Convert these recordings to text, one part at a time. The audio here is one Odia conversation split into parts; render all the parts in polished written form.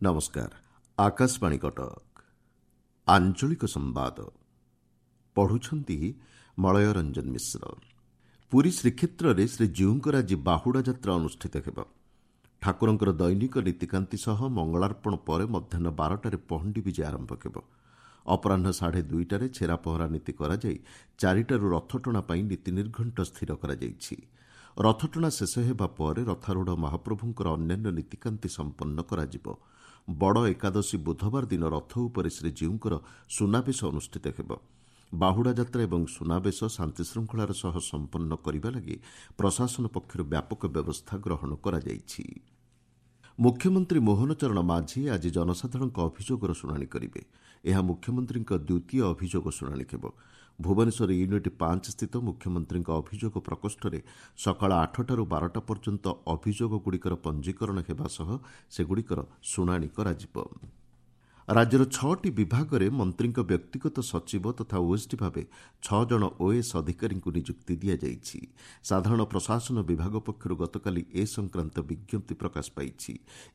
ନମସ୍କାର, ଆକାଶବାଣୀ କଟକ। ଆଞ୍ଚଳିକ ସମ୍ବାଦ ପଢ଼ୁଛନ୍ତି ମଳୟ ରଞ୍ଜନ ମିଶ୍ର। ପୁରୀ ଶ୍ରୀକ୍ଷେତ୍ରରେ ଶ୍ରୀଜୀଉଙ୍କର ଆଜି ବାହୁଡ଼ା ଯାତ୍ରା ଅନୁଷ୍ଠିତ ହେବ। ଠାକୁରଙ୍କର ଦୈନିକ ନୀତିକାନ୍ତି ସହ ମଙ୍ଗଳାର୍ପଣ ପରେ ମଧ୍ୟାହ୍ନ 12ଟାରେ ପହଣ୍ଡି ବିଜେ ଆରମ୍ଭ ହେବ। ଅପରାହ୍ନ 2:30ରେ ଛେରାପହଁରା ନୀତି କରାଯାଇ 4ଟାରୁ ରଥଟଣା ପାଇଁ ନୀତି ନିର୍ଘଣ୍ଟ ସ୍ଥିର କରାଯାଇଛି। ରଥଟଣା ଶେଷ ହେବା ପରେ ରଥାରୂଢ଼ ମହାପ୍ରଭୁଙ୍କର ଅନ୍ୟାନ୍ୟ ନୀତିକାନ୍ତି ସମ୍ପନ୍ନ କରାଯିବ। ବଡ଼ ଏକାଦଶୀ ବୁଧବାର ଦିନ ରଥ ଉପରେ ଶ୍ରୀଜୀଉଙ୍କର ସୁନାବେଶ ଅନୁଷ୍ଠିତ ହେବ। ବାହୁଡ଼ା ଯାତ୍ରା ଏବଂ ସୁନାବେଶ ଶାନ୍ତିଶୃଙ୍ଖଳାର ସହ ସମ୍ପନ୍ନ କରିବା ଲାଗି ପ୍ରଶାସନ ପକ୍ଷରୁ ବ୍ୟାପକ ବ୍ୟବସ୍ଥା ଗ୍ରହଣ କରାଯାଇଛି। ମୁଖ୍ୟମନ୍ତ୍ରୀ ମୋହନ ଚରଣ ମାଝୀ ଆଜି ଜନସାଧାରଣଙ୍କ ଅଭିଯୋଗର ଶୁଣାଣି କରିବେ। ଏହା ମୁଖ୍ୟମନ୍ତ୍ରୀଙ୍କ ଦ୍ୱିତୀୟ ଅଭିଯୋଗ ଶୁଣାଣି ହେବ। ଭୁବନେଶ୍ୱର ୟୁନିଟ୍ 5 ସ୍ଥିତ ମୁଖ୍ୟମନ୍ତ୍ରୀଙ୍କ ଅଭିଯୋଗ ପ୍ରକୋଷ୍ଠରେ ସକାଳ 8ଟାରୁ 12ଟା ପର୍ଯ୍ୟନ୍ତ ଅଭିଯୋଗଗୁଡ଼ିକର ପଞ୍ଜୀକରଣ ହେବା ସହ ସେଗୁଡ଼ିକର ଶୁଣାଣି କରାଯିବ। ରାଜ୍ୟର 6ଟି ବିଭାଗରେ ମନ୍ତ୍ରୀଙ୍କ ବ୍ୟକ୍ତିଗତ ସଚିବ ତଥା ଓଏସ୍ଡି ଭାବେ 6 ଜଣ ଓଏଏସ୍ ଅଧିକାରୀଙ୍କୁ ନିଯୁକ୍ତି ଦିଆଯାଇଛି। ସାଧାରଣ ପ୍ରଶାସନ ବିଭାଗ ପକ୍ଷରୁ ଗତକାଲି ଏ ସଂକ୍ରାନ୍ତ ବିଜ୍ଞପ୍ତି ପ୍ରକାଶ ପାଇଛି।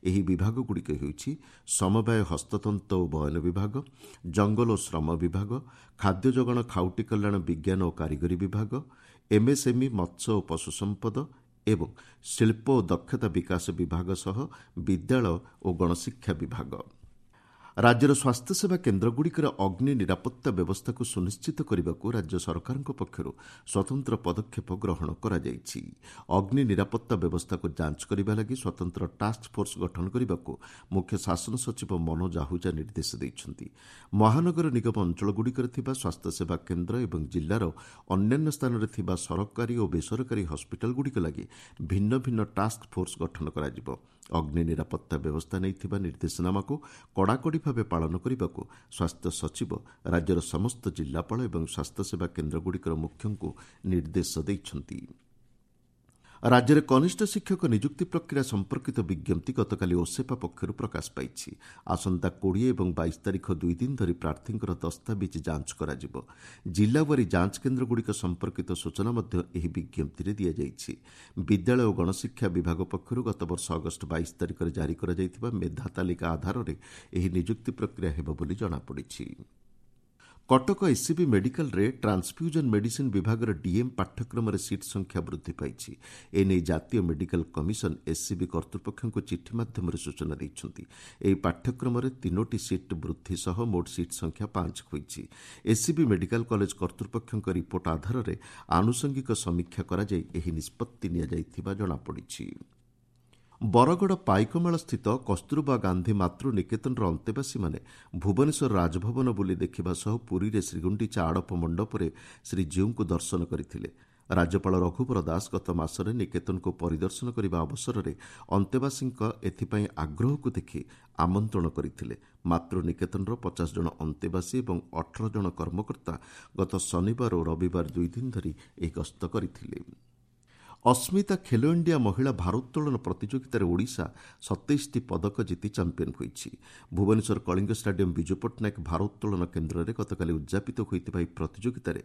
ଏହି ବିଭାଗଗୁଡ଼ିକ ହେଉଛି ସମବାୟ, ହସ୍ତତନ୍ତ ଓ ବୟନ ବିଭାଗ, ଜଙ୍ଗଲ ଓ ଶ୍ରମ ବିଭାଗ, ଖାଦ୍ୟ ଯୋଗାଣ, ଖାଉଟି କଲ୍ୟାଣ, ବିଜ୍ଞାନ ଓ କାରିଗରୀ ବିଭାଗ, ଏମ୍ଏସ୍ଏମ୍ଇ, ମତ୍ସ୍ୟ ଓ ପଶୁ ସମ୍ପଦ ଏବଂ ଶିଳ୍ପ ଓ ଦକ୍ଷତା ବିକାଶ ବିଭାଗ ସହ ବିଦ୍ୟାଳୟ ଓ ଗଣଶିକ୍ଷା ବିଭାଗ। ରାଜ୍ୟର ସ୍ୱାସ୍ଥ୍ୟସେବା କେନ୍ଦ୍ରଗୁଡ଼ିକରେ ଅଗ୍ନି ନିରାପତ୍ତା ବ୍ୟବସ୍ଥାକୁ ସୁନିଶ୍ଚିତ କରିବାକୁ ରାଜ୍ୟ ସରକାରଙ୍କ ପକ୍ଷରୁ ସ୍ୱତନ୍ତ୍ର ପଦକ୍ଷେପ ଗ୍ରହଣ କରାଯାଇଛି। ଅଗ୍ନି ନିରାପତ୍ତା ବ୍ୟବସ୍ଥାକୁ ଯାଞ୍ଚ କରିବା ଲାଗି ସ୍ୱତନ୍ତ୍ର ଟାସ୍କ ଫୋର୍ସ ଗଠନ କରିବାକୁ ମୁଖ୍ୟ ଶାସନ ସଚିବ ମନୋଜ ଆହୁଜା ନିର୍ଦ୍ଦେଶ ଦେଇଛନ୍ତି। ମହାନଗର ନିଗମ ଅଞ୍ଚଳଗୁଡ଼ିକରେ ଥିବା ସ୍ୱାସ୍ଥ୍ୟସେବା କେନ୍ଦ୍ର ଏବଂ ଜିଲ୍ଲାର ଅନ୍ୟାନ୍ୟ ସ୍ଥାନରେ ଥିବା ସରକାରୀ ଓ ବେସରକାରୀ ହସ୍ପିଟାଲଗୁଡ଼ିକ ଲାଗି ଭିନ୍ନ ଭିନ୍ନ ଟାସ୍କ ଫୋର୍ସ ଗଠନ କରାଯିବ। ଅଗ୍ନି ନିରାପତ୍ତା ବ୍ୟବସ୍ଥା ନେଇ ଥିବା ନିର୍ଦ୍ଦେଶନାମାକୁ କଡ଼ାକଡ଼ି ଭାବେ ପାଳନ କରିବାକୁ ସ୍ୱାସ୍ଥ୍ୟ ସଚିବ ରାଜ୍ୟର ସମସ୍ତ ଜିଲ୍ଲାପାଳ ଏବଂ ସ୍ୱାସ୍ଥ୍ୟସେବା କେନ୍ଦ୍ରଗୁଡ଼ିକର ମୁଖ୍ୟଙ୍କୁ ନିର୍ଦ୍ଦେଶ ଦେଇଛନ୍ତି। ରାଜ୍ୟରେ କନିଷ୍ଠ ଶିକ୍ଷକ ନିଯୁକ୍ତି ପ୍ରକ୍ରିୟା ସମ୍ପର୍କିତ ବିଜ୍ଞପ୍ତି ଗତକାଲି ଓସେପା ପକ୍ଷରୁ ପ୍ରକାଶ ପାଇଛି। ଆସନ୍ତା 20 ଏବଂ 22 ତାରିଖ 2 ଦିନ ଧରି ପ୍ରାର୍ଥୀଙ୍କର ଦସ୍ତାବିଜ ଯାଞ୍ଚ କରାଯିବ। ଜିଲ୍ଲାୱାରୀ ଯାଞ୍ଚ କେନ୍ଦ୍ରଗୁଡ଼ିକ ସମ୍ପର୍କିତ ସୂଚନା ମଧ୍ୟ ଏହି ବିଜ୍ଞପ୍ତିରେ ଦିଆଯାଇଛି। ବିଦ୍ୟାଳୟ ଓ ଗଣଶିକ୍ଷା ବିଭାଗ ପକ୍ଷରୁ ଗତବର୍ଷ ଅଗଷ୍ଟ 22 ତାରିଖରେ ଜାରି କରାଯାଇଥିବା ମେଧା ତାଲିକା ଆଧାରରେ ଏହି ନିଯୁକ୍ତି ପ୍ରକ୍ରିୟା ହେବ ବୋଲି ଜଣାପଡ଼ିଛି। କଟକ ଏସ୍ସିବି ମେଡିକାଲରେ ଟ୍ରାନ୍ସଫ୍ୟୁଜନ ମେଡିସିନ୍ ବିଭାଗର ଡିଏମ୍ ପାଠ୍ୟକ୍ରମରେ ସିଟ୍ ସଂଖ୍ୟା ବୃଦ୍ଧି ପାଇଛି। ଏନେଇ ଜାତୀୟ ମେଡିକାଲ କମିଶନ ଏସ୍ସିବି କର୍ତ୍ତୃପକ୍ଷଙ୍କୁ ଚିଠି ମାଧ୍ୟମରେ ସୂଚନା ଦେଇଛନ୍ତି। ଏହି ପାଠ୍ୟକ୍ରମରେ 3ଟି ସିଟ୍ ବୃଦ୍ଧି ସହ ମୋଟ ସିଟ୍ ସଂଖ୍ୟା 5 ହୋଇଛି। ଏସ୍ସିବି ମେଡିକାଲ କଲେଜ କର୍ତ୍ତୃପକ୍ଷଙ୍କ ରିପୋର୍ଟ ଆଧାରରେ ଆନୁଷଙ୍ଗିକ ସମୀକ୍ଷା କରାଯାଇ ଏହି ନିଷ୍ପତ୍ତି ନିଆଯାଇଥିବା ଜଣାପଡ଼ିଛି। ବରଗଡ଼ ପାଇକମାଳସ୍ଥିତ କସ୍ତୁରବା ଗାନ୍ଧୀ ମାତୃ ନିକେତନର ଅନ୍ତେବାସୀମାନେ ଭୁବନେଶ୍ୱର ରାଜଭବନ ବୁଲି ଦେଖିବା ସହ ପୁରୀରେ ଶ୍ରୀଗୁଣ୍ଡିଚା ଆଡ଼ପ ମଣ୍ଡପରେ ଶ୍ରୀଜୀଉଙ୍କୁ ଦର୍ଶନ କରିଥିଲେ। ରାଜ୍ୟପାଳ ରଘୁବର ଦାସ ଗତ ମାସରେ ନିକେତନକୁ ପରିଦର୍ଶନ କରିବା ଅବସରରେ ଅନ୍ତେବାସୀଙ୍କ ଏଥିପାଇଁ ଆଗ୍ରହକୁ ଦେଖି ଆମନ୍ତ୍ରଣ କରିଥିଲେ। ମାତୃ ନିକେତନର 50 ଜଣ ଅନ୍ତେବାସୀ ଏବଂ 18 ଜଣ କର୍ମକର୍ତ୍ତା ଗତ ଶନିବାର ଓ ରବିବାର 2 ଦିନ ଧରି ଏହି ଗସ୍ତ କରିଥିଲେ। ଅସ୍ମିତା ଖେଲୋ ଇଣ୍ଡିଆ ମହିଳା ଭାରୋତ୍ତୋଳନ ପ୍ରତିଯୋଗିତାରେ ଓଡ଼ିଶା 27ଟି ପଦକ ଜିତି ଚାମ୍ପିୟନ୍ ହୋଇଛି। ଭୁବନେଶ୍ୱର କଳିଙ୍ଗ ଷ୍ଟାଡିୟମ୍ ବିଜୁ ପଟ୍ଟନାୟକ ଭାରୋତ୍ତୋଳନ କେନ୍ଦ୍ରରେ ଗତକାଲି ଉଦ୍ଯାପିତ ହୋଇଥିବା ଏହି ପ୍ରତିଯୋଗିତାରେ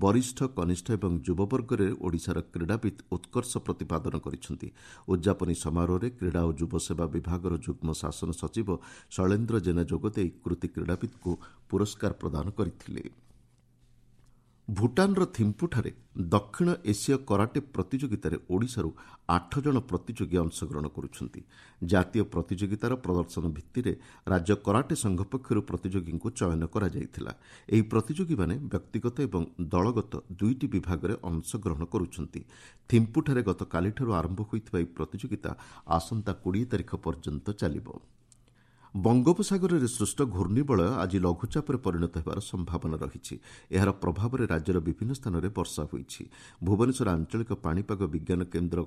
ବରିଷ୍ଠ, କନିଷ୍ଠ ଏବଂ ଯୁବବର୍ଗରେ ଓଡ଼ିଶାର କ୍ରୀଡ଼ାବିତ୍ ଉତ୍କର୍ଷ ପ୍ରତିପାଦନ କରିଛନ୍ତି। ଉଦ୍ଯାପନୀ ସମାରୋହରେ କ୍ରୀଡ଼ା ଓ ଯୁବସେବା ବିଭାଗର ଯୁଗ୍ମ ଶାସନ ସଚିବ ଶୈଳେନ୍ଦ୍ର ଜେନା ଯୋଗଦେଇ କୃତି କ୍ରୀଡ଼ାବିତ୍ଙ୍କୁ ପୁରସ୍କାର ପ୍ରଦାନ କରିଥିଲେ। ଭୁଟାନର ଥିମ୍ପୁଠାରେ ଦକ୍ଷିଣ ଏସୀୟ କରାଟେ ପ୍ରତିଯୋଗିତାରେ ଓଡ଼ିଶାରୁ 8 ଜଣ ପ୍ରତିଯୋଗୀ ଅଂଶଗ୍ରହଣ କରୁଛନ୍ତି। ଜାତୀୟ ପ୍ରତିଯୋଗିତାର ପ୍ରଦର୍ଶନ ଭିତ୍ତିରେ ରାଜ୍ୟ କରାଟେ ସଂଘ ପକ୍ଷରୁ ପ୍ରତିଯୋଗୀଙ୍କୁ ଚୟନ କରାଯାଇଥିଲା। ଏହି ପ୍ରତିଯୋଗୀମାନେ ବ୍ୟକ୍ତିଗତ ଏବଂ ଦଳଗତ 2ଟି ବିଭାଗରେ ଅଂଶଗ୍ରହଣ କରୁଛନ୍ତି। ଥିମ୍ପୁଠାରେ ଗତକାଲିଠାରୁ ଆରମ୍ଭ ହୋଇଥିବା ଏହି ପ୍ରତିଯୋଗିତା ଆସନ୍ତା 20 ତାରିଖ ପର୍ଯ୍ୟନ୍ତ ଚାଲିବ। ବଙ୍ଗୋପସାଗରରେ ସୃଷ୍ଟ ଘୂର୍ଣ୍ଣିବଳୟ ଆଜି ଲଘୁଚାପରେ ପରିଣତ ହେବାର ସମ୍ଭାବନା ରହିଛି। ଏହାର ପ୍ରଭାବରେ ରାଜ୍ୟର ବିଭିନ୍ନ ସ୍ଥାନରେ ବର୍ଷା ହୋଇଛି। ଭୁବନେଶ୍ୱର ଆଞ୍ଚଳିକ ପାଣିପାଗ ବିଜ୍ଞାନ କେନ୍ଦ୍ର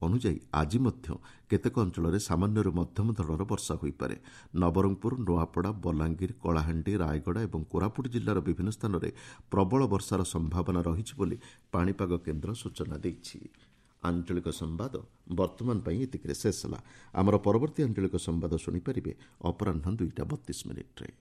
ଅନୁଯାୟୀ ଆଜି ମଧ୍ୟ କେତେକ ଅଞ୍ଚଳରେ ସାମାନ୍ୟରୁ ମଧ୍ୟମ ଧରଣର ବର୍ଷା ହୋଇପାରେ। ନବରଙ୍ଗପୁର, ନୂଆପଡ଼ା, ବଲାଙ୍ଗୀର, କଳାହାଣ୍ଡି, ରାୟଗଡ଼ା ଏବଂ କୋରାପୁଟ ଜିଲ୍ଲାର ବିଭିନ୍ନ ସ୍ଥାନରେ ପ୍ରବଳ ବର୍ଷାର ସମ୍ଭାବନା ରହିଛି ବୋଲି ପାଣିପାଗ କେନ୍ଦ୍ର ସୂଚନା ଦେଇଛି। ଆଞ୍ଚଳିକ ସମ୍ବାଦ ବର୍ତ୍ତମାନ ପାଇଁ ଏତିକିରେ ଶେଷ ହେଲା। ଆମର ପରବର୍ତ୍ତୀ ଆଞ୍ଚଳିକ ସମ୍ବାଦ ଶୁଣିପାରିବେ ଅପରାହ୍ନ 2ଟା 32 ମିନିଟ୍ରେ।